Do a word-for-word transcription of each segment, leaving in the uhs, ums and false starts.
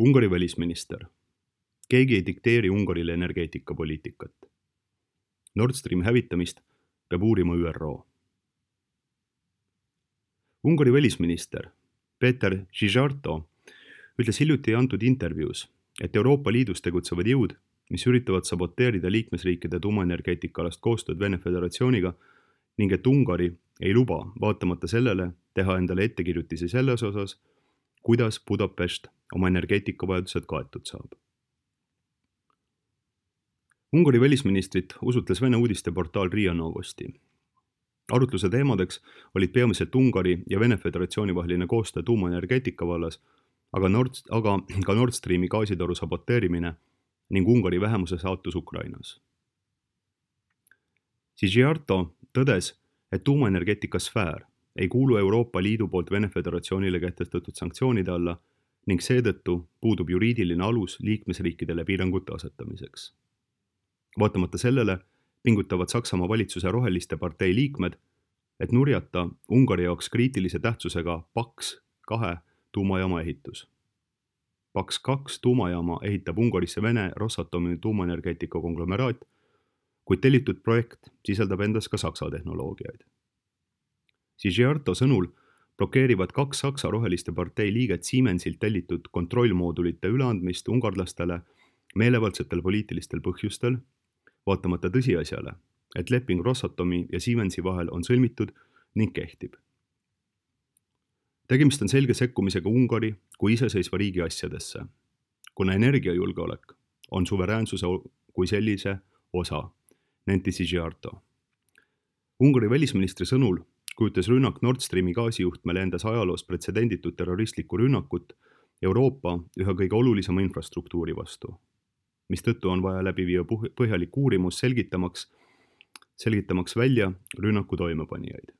Ungari välisminister. Keegi ei dikteeri Ungarile energeetikapoliitikat. Nord Stream hävitamist peab uurima Ü R O. Ungari välisminister Peter Szijjártó ütles hiljuti antud intervjuus, et Euroopa Liidus tegutsevad jõud, mis üritavad saboteerida liikmesriikide tuumaenergeetikaalast koostööd Vene Föderatsiooniga ning et Ungari ei luba, vaatamata sellele, teha endale ettekirjutisi selles osas, kuidas Budapest oma energeetikavajadused kaetud saab. Ungari välisministrit usutles Vene uudisteportaal Ria Novosti. Arutluse teemadeks olid peamiselt Ungari ja Vene Föderatsiooni vaheline koostöö tuumaenergeetika vallas, aga, Nord, aga ka Nord Streami gaasitoru saboteerimine ning Ungari vähemuse saatus Ukrainas. Szijjártó tõdes, et tuumaenergeetika sfäär ei kuulu Euroopa Liidu poolt Vene Föderatsioonile kehtestatud sanktsioonide alla ning seetõttu puudub juriidiline alus liikmesriikidele piirangute asetamiseks. Vaatamata sellele pingutavad Saksamaa valitsuse roheliste partei liikmed, et nurjata Ungari jaoks kriitilise tähtsusega Paks kahe tuumajaama ehitus. Paks kaks tuumajaama ehitab Ungarisse Vene Rosatomi tuumaenergeetika konglomeraat, kuid tellitud projekt sisaldab endas ka Saksa tehnoloogiaid. Szijjártó sõnul blokeerivad kaks Saksa roheliste partei liiget Siemensilt tellitud kontrollmoodulite üleandmist ungarlastele meelevaldsetel poliitilistel põhjustel, vaatamata tõsiasjale, et leping Rosatomi ja Siemensi vahel on sõlmitud ning kehtib. Tegemist on selge sekkumisega Ungari kui iseseisva riigi asjadesse, kuna energiajulgeolek on suveräänsuse kui sellise osa, nentis Szijjártó. Ungari välisministri sõnul kujutas rünnak Nord Streami gaasijuhtmele endas ajaloos pretsedenditud terroristlikku rünnakut Euroopa ühe kõige olulisema infrastruktuuri vastu, mistõttu on vaja läbi viia põhjalik uurimus selgitamaks, selgitamaks välja rünnaku toimepanijaid.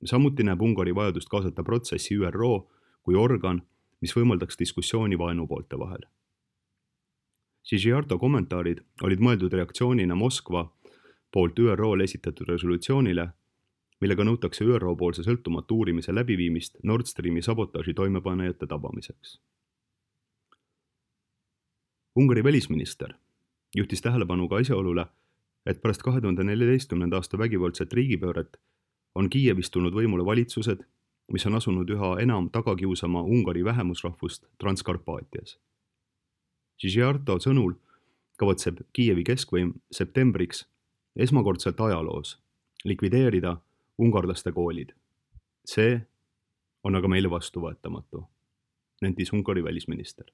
Samuti näeb Ungari vajadust kaasata protsessi Ü R O kui organ, mis võimaldaks diskussiooni vaenupoolte vahel. Szijjártó kommentaarid olid mõeldud reaktsioonina Moskva poolt Ü R O-le esitatud resolutsioonile, millega nõutakse Ü R O poolse sõltumatu uurimise läbiviimist Nord Streami sabotaaži toimepanejate tabamiseks. Ungari välisminister juhtis tähelepanu ka asjaolule, et pärast kahe tuhande neljateistkümnenda aasta vägivaldset riigipööret on Kiievis tulnud võimule valitsused, mis on asunud üha enam tagakiusama Ungari vähemusrahvust Transkarpaatias. Szijjártó sõnul kavatseb Kiievi keskvõim septembriks esmakordselt ajaloos likvideerida ungarlaste koolid. See on aga meile vastuvõetamatu, nentis Ungari välisminister.